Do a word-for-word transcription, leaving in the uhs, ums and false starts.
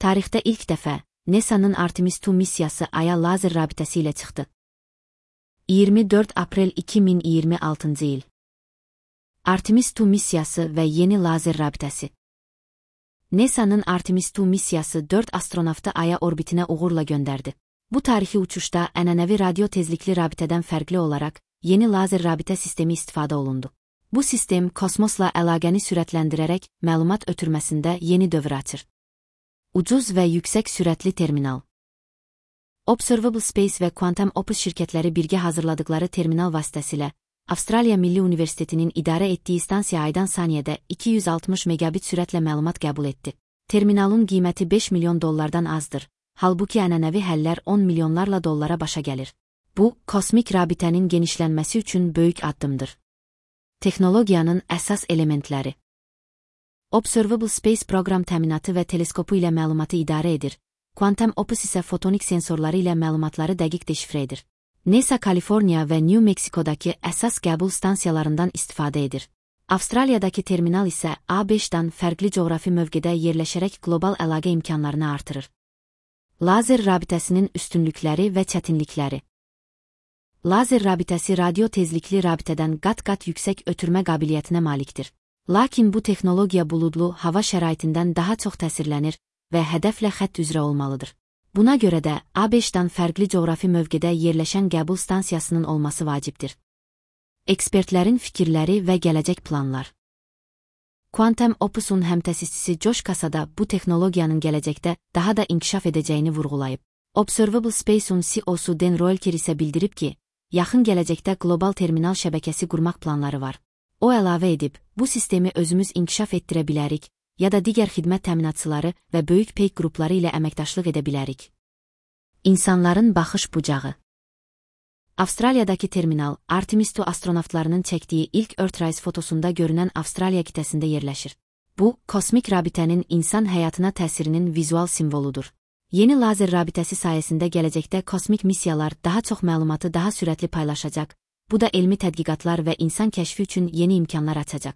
Tarixdə ilk dəfə NASA'nın Artemis iki missiyası Ay'a lazer rabitəsi ilə çıxdı. iyirmi dörd aprel iki min iyirmi altıncı il. Artemis iki missiyası və yeni lazer rabitəsi. NASA'nın Artemis iki missiyası dörd astronavtı Ay'a orbitinə uğurla göndərdi. Bu tarixi uçuşda ənənəvi radio tezlikli rabitədən fərqli olaraq yeni lazer rabitə sistemi istifadə olundu. Bu sistem kosmosla əlaqəni sürətləndirərək məlumat ötürməsində yeni dövr açır. Ucuz və yüksək sürətli terminal. Observable Space və Quantum Opus şirkətləri birgə hazırladıkları terminal vasitəsilə Avstraliya Milli Universitetinin idarə etdiyi stansiya aydan saniyədə iki yüz altmış megabit sürətlə məlumat qəbul etdi. Terminalın qiyməti beş milyon dollardan azdır, halbuki ənənəvi həllər on milyonlarla dollara başa gəlir. Bu, kosmik rabitənin genişlənməsi üçün böyük addımdır. Texnologiyanın əsas elementləri. Observable Space proqram təminatı və teleskopu ilə məlumatı idarə edir. Quantum Opus isə fotonik sensorları ilə məlumatları dəqiq deşifrə edir. NASA Kaliforniya və New Mexico'dakı əsas qəbul stansiyalarından istifadə edir. Avstraliyadakı terminal isə A beşdən fərqli coğrafi mövqedə yerləşərək qlobal əlaqə imkanlarını artırır. Lazer rabitəsinin üstünlükləri və çətinlikləri. Lazer rabitəsi radio tezlikli rabitədən qat-qat yüksək ötürmə qabiliyyətinə malikdir. Lakin bu texnologiya buludlu hava şəraitindən daha çox təsirlənir və hədəflə xətt üzrə olmalıdır. Buna görə də A beşdən fərqli coğrafi mövqedə yerləşən qəbul stansiyasının olması vacibdir. Ekspertlərin fikirləri və gələcək planlar. Quantum Opus'un həmtəsisçisi Josh Casada bu texnologiyanın gələcəkdə daha da inkişaf edəcəyini vurğulayıb. Observable Space'un C E O'su Dan Roelker isə bildirib ki, yaxın gələcəkdə qlobal terminal şəbəkəsi qurmaq planları var. O əlavə edib, bu sistemi özümüz inkişaf etdirə bilərik, ya da digər xidmət təminatçıları və böyük peyk qrupları ilə əməkdaşlıq edə bilərik. İnsanların baxış bucağı. Avstraliyadakı terminal, Artemis iki astronavtlarının çəkdiyi ilk Earthrise fotosunda görünən Avstraliya qitəsində yerləşir. Bu, kosmik rabitənin insan həyatına təsirinin vizual simvoludur. Yeni lazer rabitəsi sayəsində gələcəkdə kosmik missiyalar daha çox məlumatı daha sürətli paylaşacaq, bu da elmi tədqiqatlar və insan kəşfi üçün yeni imkanlar açacaq.